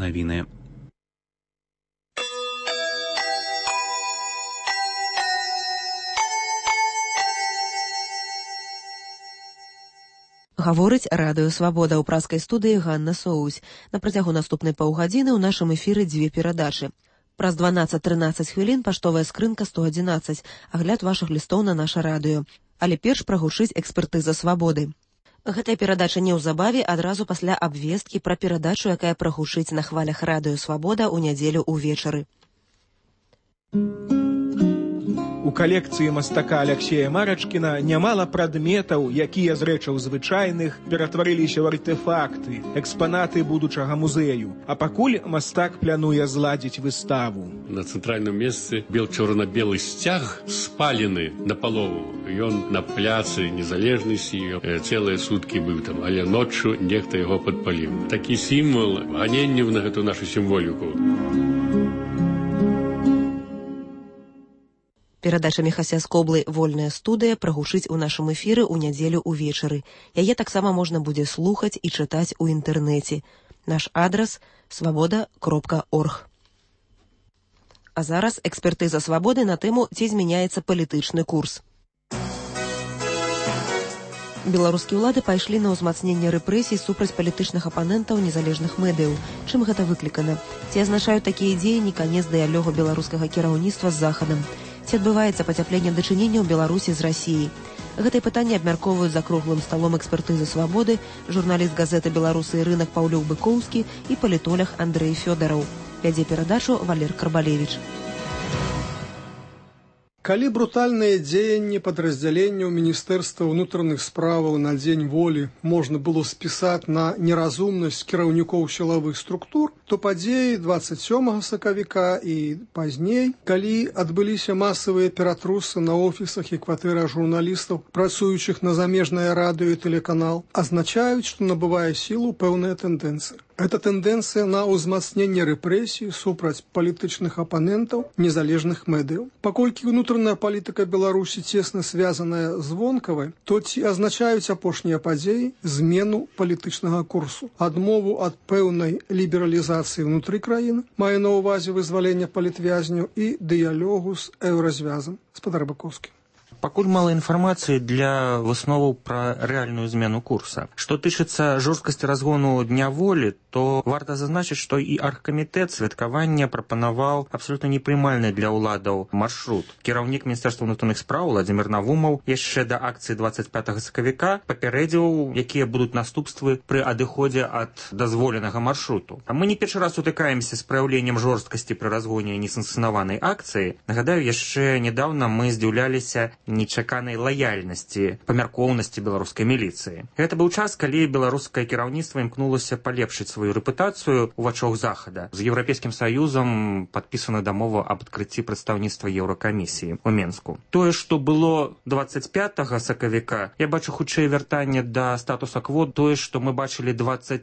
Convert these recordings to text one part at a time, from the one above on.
навіны. Гаворыць радыё «Свабода» ў пражскай студыі Ганна Соусь. На працягу наступнай паўгадзіны ў нашым эфіры дзве перадачы. Праз 12-13 хвілін паштовая скрынка 111, агляд вашых лістоў на наша радыё. Але перш прагучыць экспертыза «Свабоды». Гэтая перадача неўзабаве адразу пасля абвесткі пра перадачу, якая прагучыць на хвалях радыё «Свабода» ў нядзелю ўвечары. У калекцыі мастака Аляксея Марачкіна нямала прадметаў, якія з рэчаў звычайных ператварыліся ў артэфакты, экспанаты будучага музею. А пакуль мастак плануе зладзіць выставу. На цэнтральным месцы бел-чорна-белы сцяг спалены напалову. Ён на пляцы Незалежнасці цэлыя суткі быў там, але ноччу нехта яго падпаліў. Такі сімвал ганенняў на гэту нашу сімволіку. Перадача Міхася Скоблы «Вольная студыя» прагучыць у нашым эфіры ў нядзелю ўвечары. Яе таксама можна будзе слухаць і чытаць у інтэрнэце. Наш адрас – svoboda.org. А зараз экспертыза «Свабоды» на тэму «Ці змяняецца палітычны курс». Беларускія ўлады пайшлі на ўзмацненне рэпрэсій супраць палітычных апанентаў незалежных медыяў. Чым гэта выклікана? Ці азначаюць такія дзеянні канец дыялогу беларускага кіраўніцтва з Захадам? Ці адбываецца пацяпленне дачыненняў Беларусі з Расіяй? Гэтае пытанне абмяркоўваюць за круглым сталом экспертызы «Свабоды» журналіст газеты «Беларусы і рынак» Паўлюк Быкоўскі і палітолог Андрэй Фёдараў. Вядзе перадачу Валер Карбалевіч. Калі брутальныя дзеянні падраздзяленняў Міністэрства ўнутраных справаў на дзень волі можна было спісаць на неразумнасць кіраўнікоў сілавых структур, то падзеі 27 сакавіка і пазней, калі адбыліся масавыя ператрусы на офісах і кватэрах журналістаў, працуючых на замежнае радыё і тэлеканал, азначаюць, што набывае сілу пэўная тэндэнцыя. Гэта тэндэнцыя на ўзмацненне рэпрэсій супраць палітычных апанентаў незалежных медыяў. Паколькі ўнутраная палітыка Беларусі цесна звязаная з вонкавай, то ці азначаюць апошнія падзеі змену палітычнага курсу, адмову ад пэўнай лібералізацыі ўнутры краіны, мае на ўвазе вызвалення палітвязняў і дыялогу з еўразвязам. Спадар Бакоўскі. Пакуль мала інфармацыі для высноваў пра рэальную змену курса. Што тычыцца жорсткасці разгону Дня волі, то варта зазначыць, што і аргкамітэт святкавання прапанаваў абсалютна непрымальны для ўладаў маршрут. Кіраўнік Міністэрства ўнутраных спраў Владзімір Навумаў яшчэ да акцыі 25 сакавіка папярэдзіў, якія будуць наступствы пры адыходзе ад дазволенага маршруту. А мы не першы раз сутыкаемся з праяўленнем жорсткасці пры разгоне несанкцыянаванай акцыі. Нагадаю, яшчэ нядаўна мы здзіўляліся нечаканай лаяльнасці, памяркоўнасці беларускай міліцыі. Гэта быў час, калі беларускае кіраўніцтва імкнулася палепшыць сваю рэпутацыю ў вачах Захада. З Еўрапейскім Саюзам падпісана дамова аб адкрыцці прадстаўніцтва Еўракамісіі ў Менску. Тое, што было 25 сакавіка, я бачу хутчэй вяртанне да статуса-кво, тое, што мы бачылі 27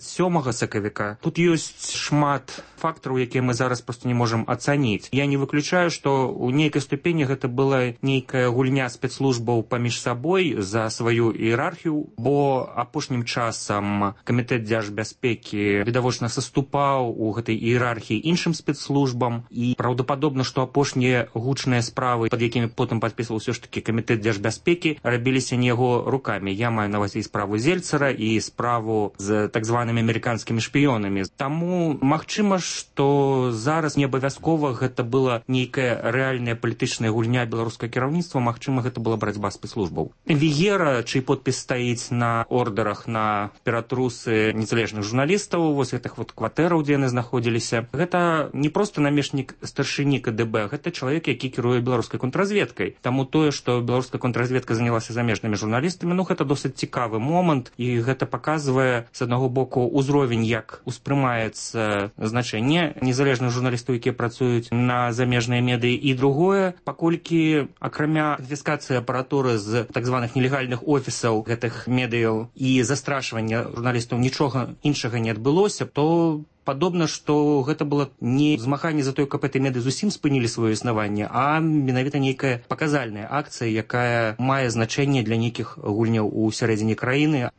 сакавіка. Тут ёсць шмат фактараў, якія мы зараз проста не можам ацаніць. Я не выключаю, што ў нейкай ступені гэта была нейкая гульня спецслужбаў паміж сабой за сваю іерархію, бо апошнім часам камітэт дзяржбяспекі відавочна саступаў у гэтай іерархіі іншым спецслужбам, і праўдападобна, што апошнія гучныя справы, пад якімі потым падпісваў усё ж такі камітэт дзяржбяспекі, рабіліся не яго рукамі. Я маю на ўвазе і справу Зельцара, і справу з так званымі амерыканскімі шпіёнамі. Таму магчыма, што зараз не абавязкова гэта была нейкая рэальная палітычная гульня беларускага кіраўніцтва, магчыма, гэта была барацьба спецслужбаў. Вігера, чый подпіс стаіць на ордерах на ператрусы незалежных журналістаў, вось гэтых вот кватэраў, дзе яны знаходзіліся, гэта не проста намешнік старшыні КДБ, гэта чалавек, які кіруе беларускай контрразведкай. Таму тое, што беларуская контрразведка занялася замежнымі журналістамі, гэта досыць цікавы момант, і гэта паказвае, з аднаго боку, узровень, як успрымаецца значэнне незалежных журналістаў, якія працуюць на замежныя медыі, і другое, паколькі акрамя канфіскацыі апаратуры з так званых нелегальных офісаў гэтых медыяў і застрашвання журналістаў нічога іншага не адбылося, то падобна, што гэта было не змаганне за тое, каб гэтыя медыі зусім спынілі сваё існаванне, а менавіта нейкая паказальная акцыя, якая мае значэнне для нейкіх гульняў у сярэдзіне краіны.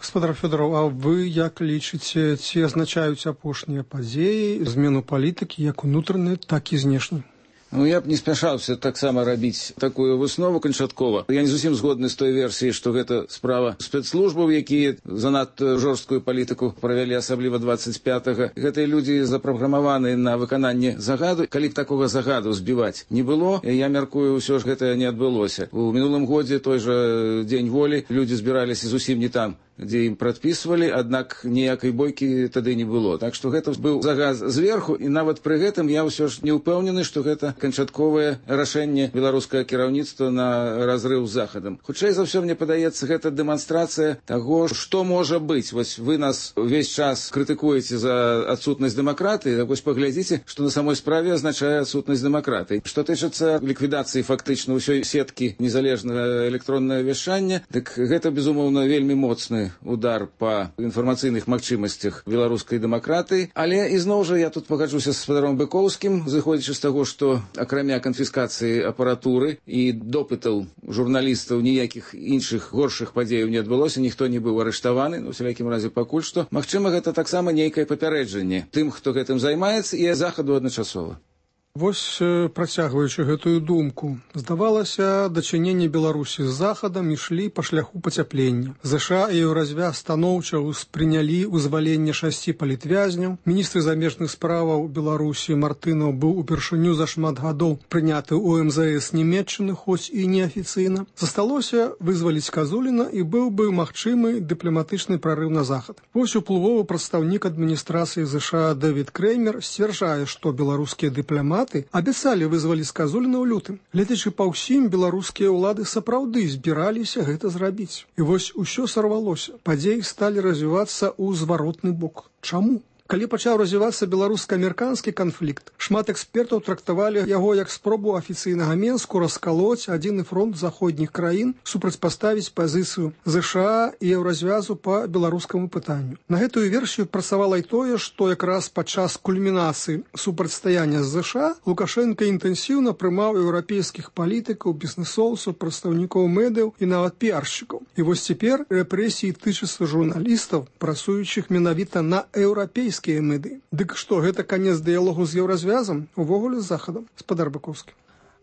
Гаспадар Фёдораў, а вы як лічыце, ці азначаюць апошнія падзеі змену палітыкі як унутранай, так і знешняй? Я б не спяшаўся таксама рабіць такую выснову канчаткова. Я не зусім згодны з той версіяй, што гэта справа спецслужбаў, якія занадта жорсткую палітыку правялі, асабліва 25-га. Гэтыя людзі запраграмаваны на выкананне загаду. Калі б такога загаду збіваць не было, я мяркую, ўсё ж гэта не адбылося. У мінулым годзе той жа дзень волі людзі збіраліся зусім не там, дзе ім прадпісвалі, аднак ніякай бойкі тады не было. Так што гэта быў загаз зверху, і нават пры гэтым я ўсё ж не ўпэўнены, што гэта канчатковае рашэнне беларускага кіраўніцтва на разрыў з захадам. Хутчэй за ўсё, мне падаецца, гэта дэманстрацыя таго, што можа быць. Вось вы нас увесь час крытыкуеце за адсутнасць дэмакратыі, так вось паглядзіце, што на самой справе азначае адсутнасць дэмакратыі. Што тычыцца ліквідацыі фактычна ўсёй сеткі незалежнага электроннага вяшчання, дык гэта, безумоўна, вельмі моцны удар па інфармацыйных магчымасцях беларускай дэмакратыі. Але ізноў жа я тут пагаджуся з гаспадаром Быкоўскім, зыходзячы з таго, што акрамя канфіскацыі апаратуры і допытаў журналістаў ніякіх іншых горшых падзеяў не адбылося, ніхто не быў арыштаваны, у всялякім разе пакуль што. Магчыма, гэта таксама нейкае папярэджанне тым, хто гэтым займаецца, і захаду адначасова. Вось, працягваючы гэтую думку, здавалася, дачыненні Беларусі з захадам ішлі па шляху пацяплення. ЗША і Еўразвяз станоўча ўспрынялі вызваленне 6 палітвязняў. Міністр замежных справаў Беларусі Мартынаў быў упершыню за шмат гадоў прыняты ў МЗС Нямецчыны, хоць і неафіцыйна. Засталося вызваліць Казуліна, і быў бы магчымы дыпламатычны прарыў на захад. Вось уплывовы прадстаўнік адміністрацыі ЗША Дэвід Креймер сцвярджае, што беларускія дыпламаты абяцалі вызваліць Казуліна ў лютым. Гледзячы па ўсім, беларускія ўлады сапраўды збіраліся гэта зрабіць. І вось усё сарвалося. Падзеі сталі развівацца ў зваротны бок. Чаму? Калі пачаў развівацца беларуска-амерыканскі канфлікт, шмат экспертаў трактавалі яго як спробу афіцыйнага Менску раскалоць адзіны фронт заходніх краін, супрацьпаставіць пазіцыю ЗША і Еўразвязу па беларускаму пытанню. На гэтую версію працавала і тое, што якраз падчас кульмінацыі супрацьстаяння з ЗША Лукашенка інтэнсіўна прымаў еўрапейскіх палітыкаў, бізнэсоўцаў, прадстаўнікоў медыяў і нават піаршчыкаў. І вось цяпер рэпрэсіі тычацца журналістаў, працуючых менавіта на еўрапейскіх меды. Дык што, гэта канец дыялогу з Еўразвязам, увогуле з захадам? Гаспадар Быкоўскі.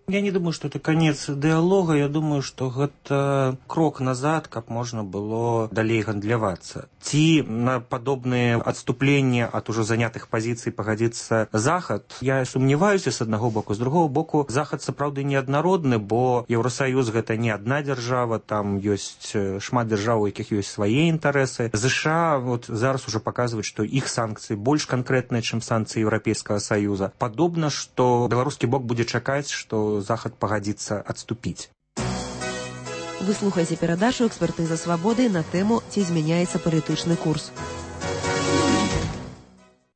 Я не думаю, что это конец диалога. Я думаю, что это крок назад, как можно было далей гандлявацца. Ці на подобные отступления от уже занятых позиций погодится Захад. Я сумневаюся с одного боку. С другого боку, Захад сапраўды неаднародны, бо Еўросоюз гэта не одна держава, там есть шмат держав, у якіх есть свои интересы. США вот зараз уже показывают, что их санкции больше конкретные, чем санкции Европейского Союза. Подобно, что белорусский бок будет чакаць, что Захад пагадзіцца адступіць. Вы слухаеце перадачу «Экспертыза свабоды» на тэму «Ці змяняецца палітычны курс».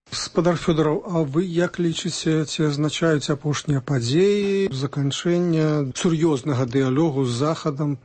Гаспадар Фёдораў, а вы як лічыце, ці азначаюць апошнія падзеі заканчэння сур'ёзнага дыялогу з Захадам?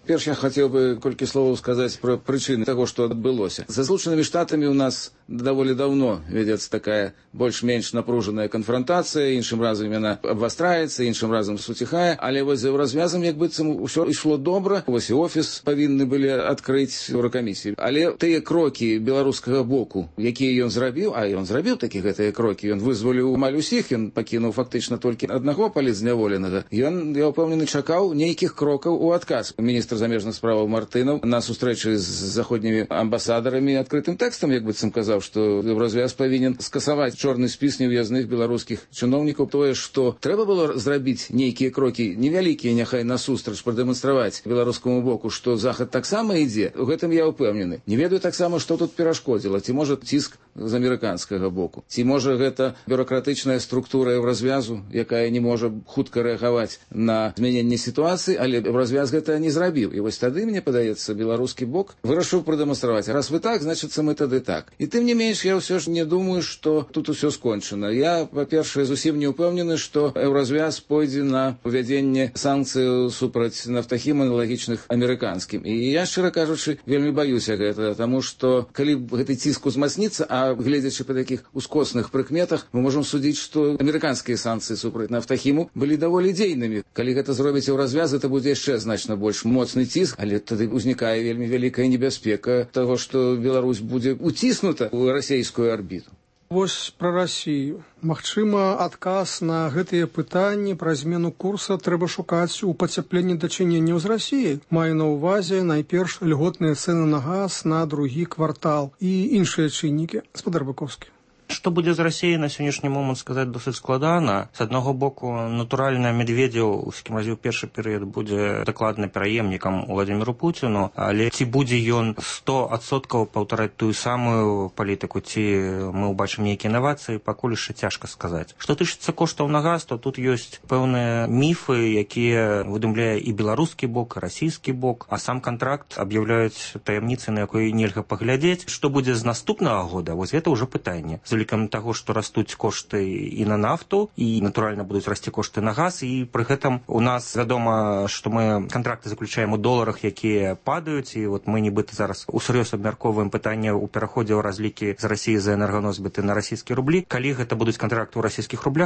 Перш я хотел бы колькі словаў сказаць пра прычыны таго, што адбылося. За Злучанымі Штатамі у нас даволі даўно вядзецца такая больш-менш напружаная канфронтацыя, іншым разам яна абвастраецца, іншым разам суціхае, але вось за Еўразвязам як быццам усё ішло добра. Вось і офіс павінны былі адкрыць Еўракамісіі. Але тыя крокі беларускага боку, якія ён зрабіў, а ён зрабіў такі гэтыя крокі, ён вызваліў амаль усіх, ён пакінуў фактычна толькі аднаго палітзняволенага. Ён, я ўпэўнены, чакаў нейкіх крокаў у адказ. Міністр замежных справаў Мартынаў на сустрэчы з заходнімі амбасадарамі адкрытым тэкстам, як быццам казаў, што Еўразвяз павінен скасаваць чорны спіс нев'язных беларускіх чыноўнікаў. Тое, што трэба было зрабіць нейкія крокі невялікія, няхай насустрач прадэманстраваць беларускаму боку, што Захад таксама ідзе, у гэтым я ўпэўнены. Не ведаю таксама, што тут перашкодзіла. Ці можа ціск з амерыканскага боку, ці можа гэта бюракратычная структура Еўразвязу, якая не можа хутка рэагаваць на змяненне сітуацыі, але Еўразвяз гэта не зрабіў. І вось тады, мне падаецца, беларускі бок вырашыў прадэманстраваць. Раз вы так, значыцца мы тады так. І тым не менш, я ўсё ж не думаю, што тут усё скончана. Я, па-першае, зусім не ўпэўнены, што Еўразвяз пойдзе на увядзенне санкцыяў супраць нафтахіма аналагічных амерыканскім. І я, шчыра кажучы, вельмі баюся гэта, таму што калі гэты ціск узмацніцца, а гледзячы па такіх ускосных прыкметах, мы можам судзіць, што амерыканскія санкцыі супраць нафтахіму былі даволі дзейнымі. Калі гэта зробіць Еўразвяз, это будзе яшчэ значна больш моцны моцны ціск, але тады ўзнікае вельмі вялікая небяспека таго, што Беларусь будзе уціснута ў расійскую арбіту. Вось пра Расію. Магчыма, адказ на гэтыя пытанні пра змену курса трэба шукаць у пацяпленні дачыненняў з Расіяй. Маю на ўвазе найперш льготныя цэны на газ на другі квартал і іншыя чыннікі. Гаспадар Быкоўскі. Што будзе з Расіяй на сённяшні момант сказаць досыць складана. З аднаго боку, натуральна, Медведзеў, з кім разіў першы перыяд, будзе дакладна пераемнікам Владзіміру Пуціну, але ці будзе ён 100% паўтараць тую самую палітыку, ці мы ўбачым нейкія інавацыі, пакуль яшчэ цяжка сказаць. Што тычыцца коштаў на газ, то тут ёсць пэўныя міфы, якія выдумляе і беларускі бок, і расійскі бок, а сам кантракт аб'яўляюць таямніцы, на якой нельга паглядзець. Што будзе з наступнага года, вось гэта ўжо пытанне. З улікам таго, што растуць кошты і на нафту, і, натуральна, будуць расці кошты на газ, і пры гэтым у нас вядома, што мы кантракты заключаем у доларах, якія падаюць, і вот мы нібыта зараз усур'ёз абмяркоўваем пытанне ў пераходзе ў разлікі з Расіі за энерганосьбіты на расійскія рублі. Калі гэта будуць кантракты ў расійскіх рублях,